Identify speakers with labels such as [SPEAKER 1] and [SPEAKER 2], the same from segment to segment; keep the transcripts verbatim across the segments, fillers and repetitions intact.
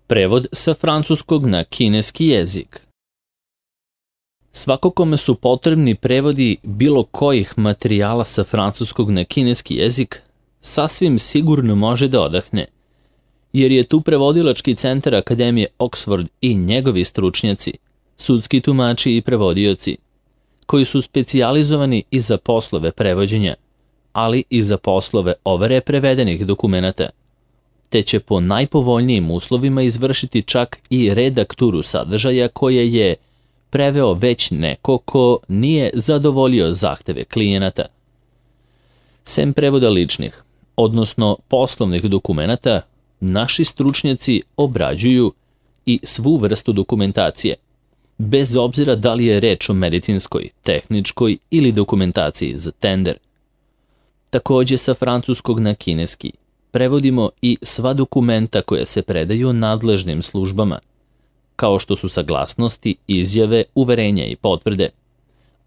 [SPEAKER 1] Prevod sa francuskog na kineski jezik. Svako kome su potrebni prevodi bilo kojih materijala sa francuskog na kineski jezik, sasvim sigurno može da odahne, jer je tu prevodilački centar Akademije Oxford i njegovi stručnjaci, sudski tumači i prevodioci, koji su specijalizovani i za poslove prevođenja, ali i za poslove overe prevedenih dokumenata, te će po najpovoljnijim uslovima izvršiti čak i redakturu sadržaja koje je preveo već neko ko nije zadovoljio zahteve klijenata. Sem prevoda ličnih, odnosno poslovnih dokumenata, naši stručnjaci obrađuju i svu vrstu dokumentacije, bez obzira da li je reč o medicinskoj, tehničkoj ili dokumentaciji za tender. Takođe sa francuskog na kineski prevodimo i sva dokumenta koja se predaju nadležnim službama, kao što su saglasnosti, izjave, uverenja i potvrde,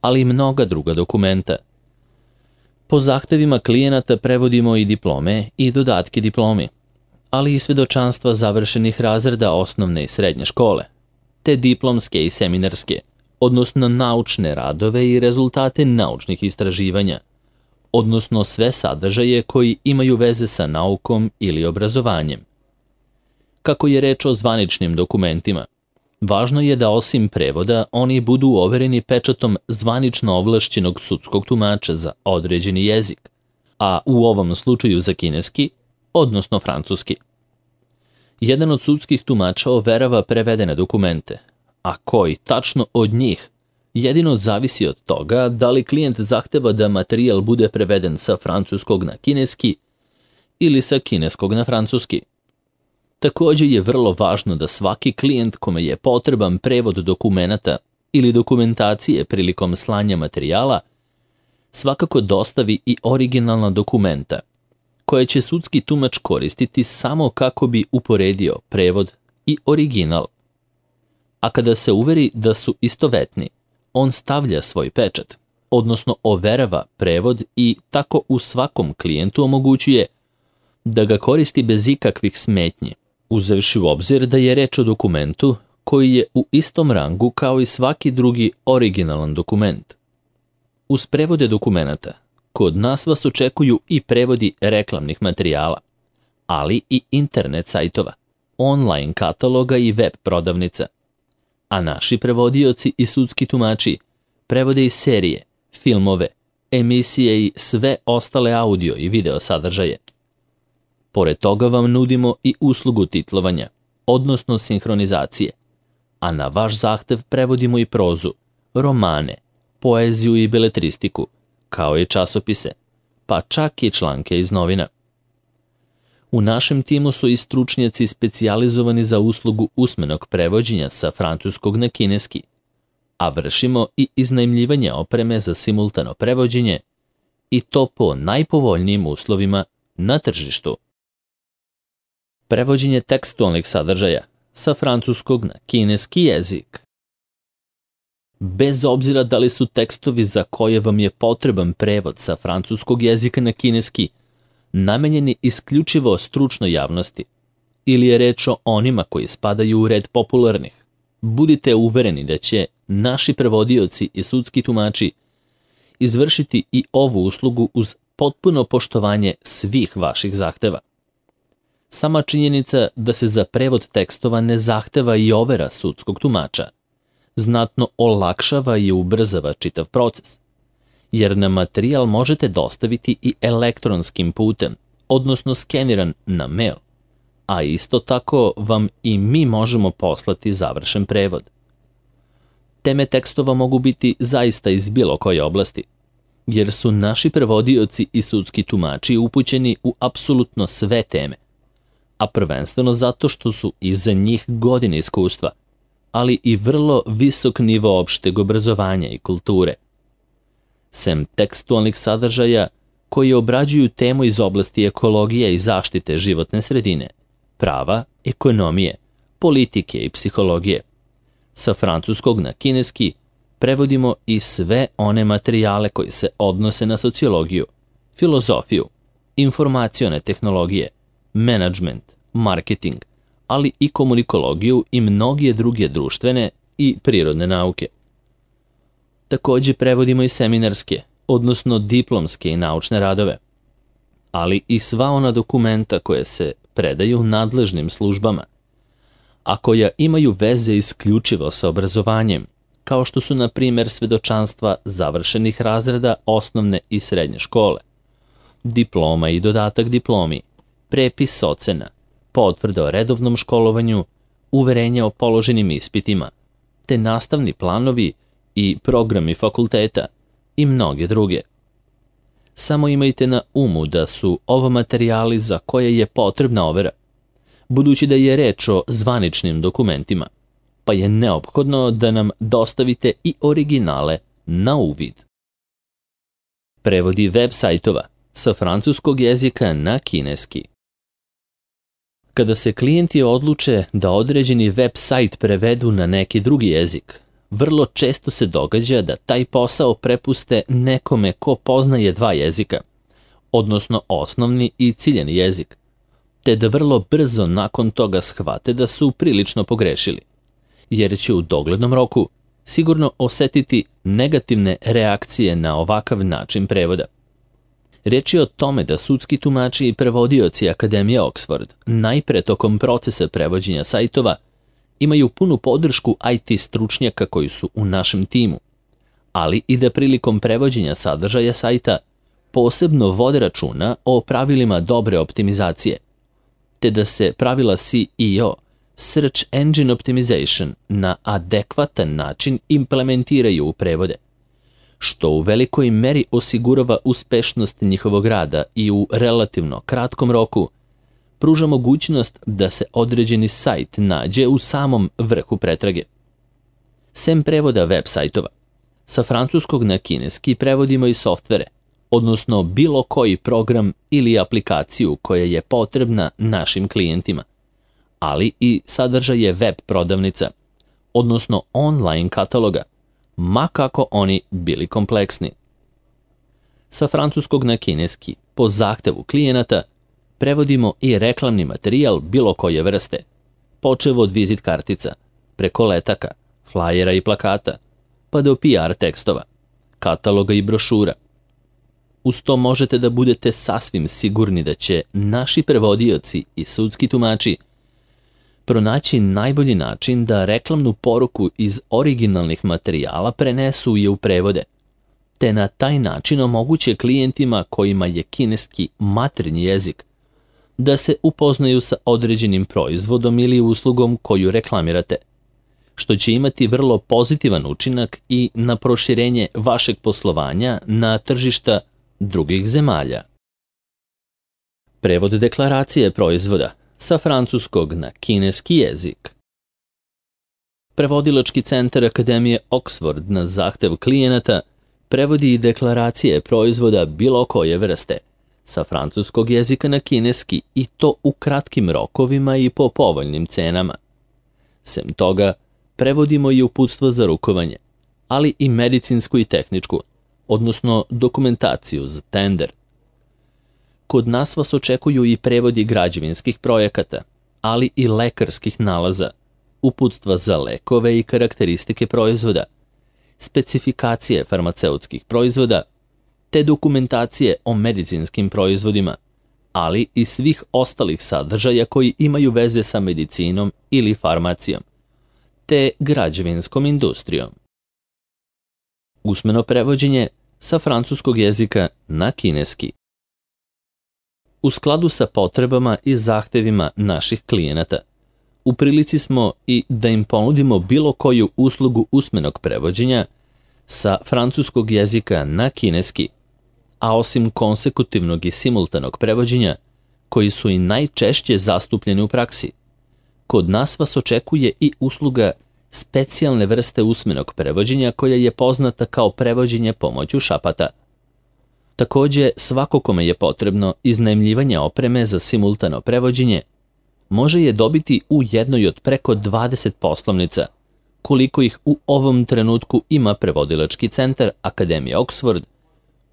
[SPEAKER 1] ali i mnoga druga dokumenta. Po zahtevima klijenata prevodimo i diplome i dodatke diplomi, ali i svedočanstva završenih razreda osnovne i srednje škole, te diplomske i seminarske, odnosno naučne radove i rezultate naučnih istraživanja, odnosno sve sadržaje koji imaju veze sa naukom ili obrazovanjem. Kako je reč o zvaničnim dokumentima, važno je da osim prevoda oni budu overeni pečatom zvanično ovlašćenog sudskog tumača za određeni jezik, a u ovom slučaju za kineski, odnosno francuski. Jedan od sudskih tumača overava prevedene dokumente, a koji tačno od njih jedino zavisi od toga da li klijent zahteva da materijal bude preveden sa francuskog na kineski ili sa kineskog na francuski. Takođe je vrlo važno da svaki klijent kome je potreban prevod dokumenata ili dokumentacije prilikom slanja materijala svakako dostavi i originalna dokumenta, koje će sudski tumač koristiti samo kako bi uporedio prevod i original. A kada se uveri da su istovetni, on stavlja svoj pečat, odnosno overava prevod i tako u svakom klijentu omogućuje da ga koristi bez ikakvih smetnji, uzevši u obzir da je reč o dokumentu koji je u istom rangu kao i svaki drugi originalan dokument. Uz prevode dokumenata, kod nas vas očekuju i prevodi reklamnih materijala, ali i internet sajtova, online kataloga i web prodavnica, a naši prevodioci i sudski tumači prevode i serije, filmove, emisije i sve ostale audio i video sadržaje. Pored toga vam nudimo i uslugu titlovanja, odnosno sinhronizacije, a na vaš zahtev prevodimo i prozu, romane, poeziju i beletristiku, kao i časopise, pa čak i članke iz novina. U našem timu su i stručnjaci specijalizovani za uslugu usmenog prevođenja sa francuskog na kineski, a vršimo i iznajmljivanje opreme za simultano prevođenje i to po najpovoljnijim uslovima na tržištu. Prevođenje tekstualnih sadržaja sa francuskog na kineski jezik. Bez obzira da li su tekstovi za koje vam je potreban prevod sa francuskog jezika na kineski namenjeni isključivo stručnoj javnosti ili je reč o onima koji spadaju u red popularnih, budite uvereni da će naši prevodioci i sudski tumači izvršiti i ovu uslugu uz potpuno poštovanje svih vaših zahteva. Sama činjenica da se za prevod tekstova ne zahteva i overa sudskog tumača znatno olakšava i ubrzava čitav proces, jer nam materijal možete dostaviti i elektronskim putem, odnosno skeniran na mail, a isto tako vam i mi možemo poslati završen prevod. Teme tekstova mogu biti zaista iz bilo koje oblasti, jer su naši prevodioci i sudski tumači upućeni u apsolutno sve teme, a prvenstveno zato što su iza njih godine iskustva, ali i vrlo visok nivo opšteg obrazovanja i kulture. Sem tekstualnih sadržaja koji obrađuju temu iz oblasti ekologije i zaštite životne sredine, prava, ekonomije, politike i psihologije. Sa francuskog na kineski prevodimo i sve one materijale koji se odnose na sociologiju, filozofiju, informacione tehnologije, menadžment, marketing, ali i komunikologiju i mnoge druge društvene i prirodne nauke. Takođe prevodimo i seminarske, odnosno diplomske i naučne radove, ali i sva ona dokumenta koje se predaju nadležnim službama, a koja imaju veze isključivo sa obrazovanjem, kao što su, na primjer, svedočanstva završenih razreda osnovne i srednje škole, diploma i dodatak diplomi, prepis ocena, potvrda o redovnom školovanju, uverenja o položenim ispitima, te nastavni planovi i programi fakulteta i mnoge druge. Samo imajte na umu da su ovo materijali za koje je potrebna overa, budući da je reč o zvaničnim dokumentima, pa je neophodno da nam dostavite i originale na uvid. Prevodi web sajtova sa francuskog jezika na kineski. Kada se klijenti odluče da određeni web sajt prevedu na neki drugi jezik, vrlo često se događa da taj posao prepuste nekome ko poznaje dva jezika, odnosno osnovni i ciljani jezik, te da vrlo brzo nakon toga shvate da su prilično pogrešili, jer će u doglednom roku sigurno osetiti negativne reakcije na ovakav način prevoda. Reč je o tome da sudski tumači i prevodioci Akademije Oxford najpre tokom procesa prevođenja sajtova imaju punu podršku I T stručnjaka koji su u našem timu, ali i da prilikom prevođenja sadržaja sajta posebno vode računa o pravilima dobre optimizacije, te da se pravila S E O, Search Engine Optimization, na adekvatan način implementiraju u prevode, što u velikoj meri osigurava uspešnost njihovog rada i u relativno kratkom roku pruža mogućnost da se određeni sajt nađe u samom vrhu pretrage. Sem prevoda web sajtova, sa francuskog na kineski prevodimo i softvere, odnosno bilo koji program ili aplikaciju koja je potrebna našim klijentima, ali i sadržaje web prodavnica, odnosno online kataloga, ma kako oni bili kompleksni. Sa francuskog na kineski, po zahtevu klijenata, prevodimo i reklamni materijal bilo koje vrste, počev od vizit kartica, preko letaka, flajera i plakata, pa do P R tekstova, kataloga i brošura. Uz to možete da budete sasvim sigurni da će naši prevodioci i sudski tumači pronaći najbolji način da reklamnu poruku iz originalnih materijala prenesu je u prevode, te na taj način omoguće klijentima kojima je kineski maternji jezik da se upoznaju sa određenim proizvodom ili uslugom koju reklamirate, što će imati vrlo pozitivan učinak i na proširenje vašeg poslovanja na tržišta drugih zemalja. Prevod deklaracije proizvoda sa francuskog na kineski jezik. Prevodilački centar Akademije Oxford na zahtev klijenata prevodi i deklaracije proizvoda bilo koje vrste sa francuskog jezika na kineski, i to u kratkim rokovima i po povoljnim cenama. Sem toga, prevodimo i uputstvo za rukovanje, ali i medicinsku i tehničku, odnosno dokumentaciju za tender. Kod nas vas očekuju i prevodi građevinskih projekata, ali i lekarskih nalaza, uputstva za lekove i karakteristike proizvoda, specifikacije farmaceutskih proizvoda, te dokumentacije o medicinskim proizvodima, ali i svih ostalih sadržaja koji imaju veze sa medicinom ili farmacijom, te građevinskom industrijom. Usmeno prevođenje sa francuskog jezika na kineski. U skladu sa potrebama i zahtevima naših klijenata, u prilici smo i da im ponudimo bilo koju uslugu usmenog prevođenja sa francuskog jezika na kineski, a osim konsekutivnog i simultanog prevođenja, koji su i najčešće zastupljeni u praksi, kod nas vas očekuje i usluga specijalne vrste usmenog prevođenja koja je poznata kao prevođenje pomoću šapata. Takođe, svako kome je potrebno iznajmljivanje opreme za simultano prevođenje može je dobiti u jednoj od preko dvadeset poslovnica, koliko ih u ovom trenutku ima prevodilački centar Akademije Oxford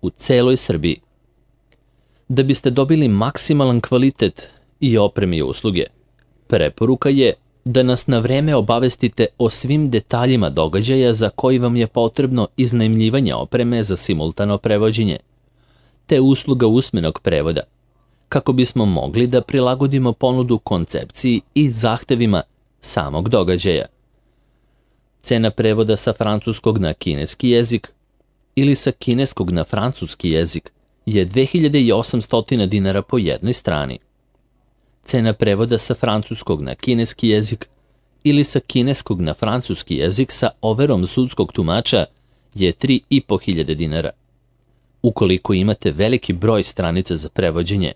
[SPEAKER 1] u celoj Srbiji. Da biste dobili maksimalan kvalitet i opreme i usluge, Preporuka je da nas na vreme obavestite o svim detaljima događaja za koji vam je potrebno iznajmljivanje opreme za simultano prevođenje, te usluga usmenog prevoda, kako bismo mogli da prilagodimo ponudu koncepciji i zahtevima samog događaja. Cena prevoda sa francuskog na kineski jezik ili sa kineskog na francuski jezik je dve hiljade osamsto dinara po jednoj strani. Cena prevoda sa francuskog na kineski jezik ili sa kineskog na francuski jezik sa overom sudskog tumača je tri i po hiljade dinara. Ukoliko imate veliki broj stranica za prevođenje,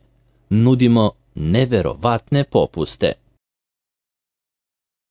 [SPEAKER 1] nudimo neverovatne popuste.